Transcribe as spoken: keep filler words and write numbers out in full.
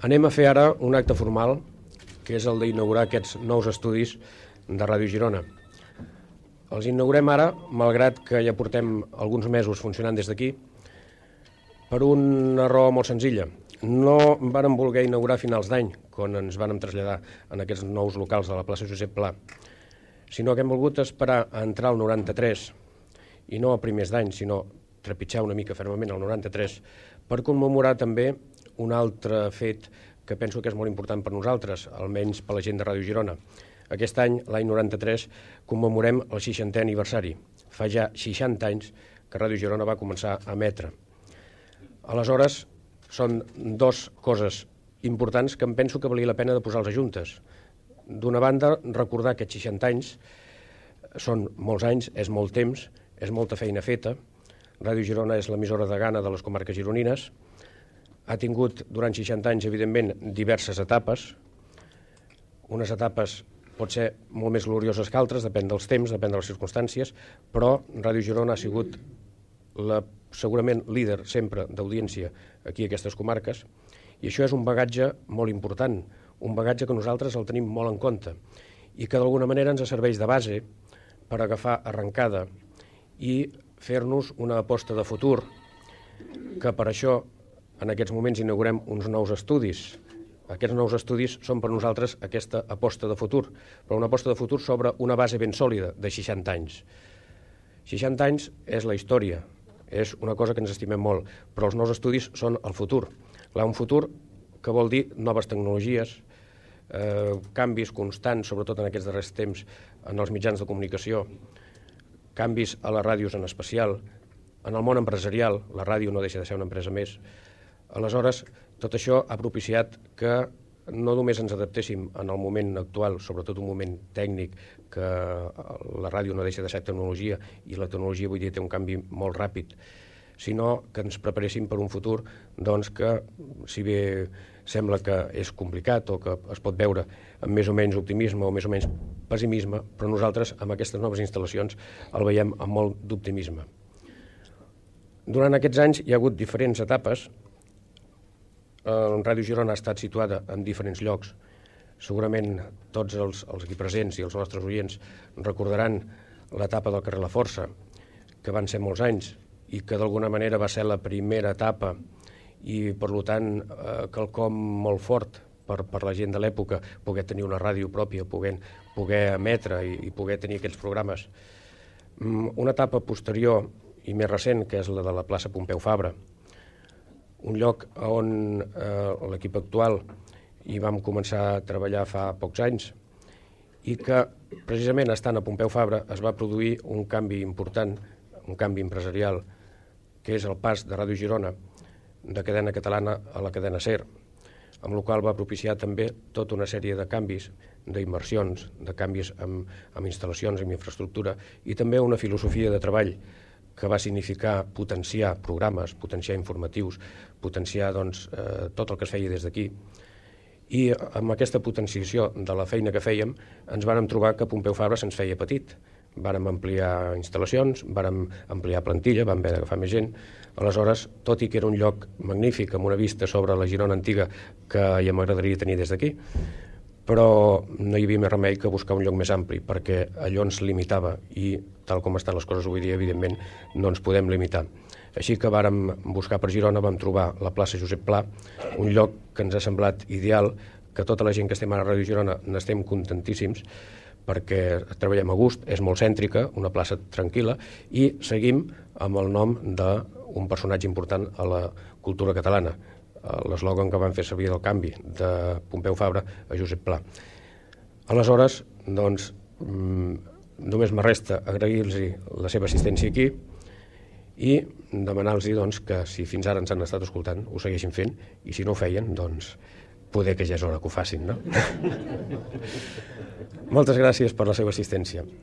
Anem a fer ara un acte formal, que és el d'inaugurar aquests nous estudis de Ràdio Girona. Els inaugurem ara, malgrat que ja portem alguns mesos funcionant des d'aquí, per una raó molt senzilla. No vàrem voler inaugurar a finals d'any, quan ens vàrem traslladar en aquests nous locals de la plaça Josep Pla, sinó que hem volgut esperar a entrar al noranta-tres, i no a primers d'any, sinó trepitjar una mica fermament al noranta-tres, per commemorar també un altre fet que penso que és molt important per nosaltres, almenys per la gent de Ràdio Girona. Aquest any, l'any noranta-tres, commemorem el seixantè aniversari. Fa ja seixanta anys que Ràdio Girona va començar a emetre. Aleshores, són dues coses importants que em penso que valia la pena de posar-les juntes. D'una banda, recordar que aquests seixanta anys són molts anys, és molt temps, és molta feina feta. Ràdio Girona és l'emissora de gana de les comarques gironines. Ha tingut durant seixanta anys, evidentment, diverses etapes. Unes etapes pot ser molt més glorioses que altres, depèn dels temps, depèn de les circumstàncies, però Ràdio Girona ha sigut la, segurament líder sempre d'audiència aquí a aquestes comarques, i això és un bagatge molt important, un bagatge que nosaltres el tenim molt en compte i que d'alguna manera ens serveix de base per agafar arrencada i fer-nos una aposta de futur, que per això en aquests moments inaugurem uns nous estudis. Aquests nous estudis són per nosaltres aquesta aposta de futur, però una aposta de futur sobre una base ben sòlida de seixanta anys. seixanta anys és la història, és una cosa que ens estimem molt, però els nous estudis són el futur. Clar, un futur que vol dir noves tecnologies, eh, canvis constants, sobretot en aquests darrers temps, en els mitjans de comunicació, canvis a les ràdios en especial, en el món empresarial, la ràdio no deixa de ser una empresa més. Aleshores, tot això ha propiciat que no només ens adaptéssim en el moment actual, sobretot un moment tècnic, que la ràdio no deixa de ser tecnologia i la tecnologia avui dia té un canvi molt ràpid, sinó que ens preparéssim per un futur doncs, que, si bé sembla que és complicat o que es pot veure amb més o menys optimisme o més o menys pessimisme, però nosaltres amb aquestes noves instal·lacions el veiem amb molt d'optimisme. Durant aquests anys hi ha hagut diferents etapes. Ràdio Girona ha estat situada en diferents llocs. Segurament tots els, els aquí presents i els nostres oients recordaran l'etapa del carrer La Força, que van ser molts anys i que d'alguna manera va ser la primera etapa i, per tant, eh, quelcom molt fort per, per la gent de l'època, poder tenir una ràdio pròpia, poder, poder emetre i, i poder tenir aquests programes. Una etapa posterior i més recent, que és la de la plaça Pompeu Fabra, un lloc on eh, l'equip actual hi vam començar a treballar fa pocs anys i que precisament estant a Pompeu Fabra es va produir un canvi important, un canvi empresarial, que és el pas de Ràdio Girona de cadena catalana a la cadena SER, amb la qual va propiciar també tota una sèrie de canvis, d'inversions, de canvis amb, amb instal·lacions, amb infraestructura i també una filosofia de treball que va significar potenciar programes, potenciar informatius, potenciar doncs, eh, tot el que es feia des d'aquí. I amb aquesta potenciació de la feina que fèiem ens vàrem trobar que Pompeu Fabra se'ns feia petit. Vàrem ampliar instal·lacions, vàrem ampliar plantilla, vam haver d'agafar més gent. Aleshores, tot i que era un lloc magnífic amb una vista sobre la Girona antiga que ja m'agradaria tenir des d'aquí, però no hi havia més remei que buscar un lloc més ampli, perquè allò ens limitava i, tal com estan les coses avui dia, evidentment, no ens podem limitar. Així que vàrem buscar per Girona, vam trobar la plaça Josep Pla, un lloc que ens ha semblat ideal, que tota la gent que estem ara a Ràdio Girona n'estem contentíssims, perquè treballem a gust, és molt cèntrica, una plaça tranquil·la, i seguim amb el nom d'un personatge important a la cultura catalana, l'eslògan que van fer servir del canvi de Pompeu Fabra a Josep Pla. Aleshores, doncs, només me resta agrair-los la seva assistència aquí i demanar-los doncs, que si fins ara ens han estat escoltant ho segueixin fent i si no ho feien, doncs poder que ja és hora que ho facin, no? Moltes gràcies per la seva assistència.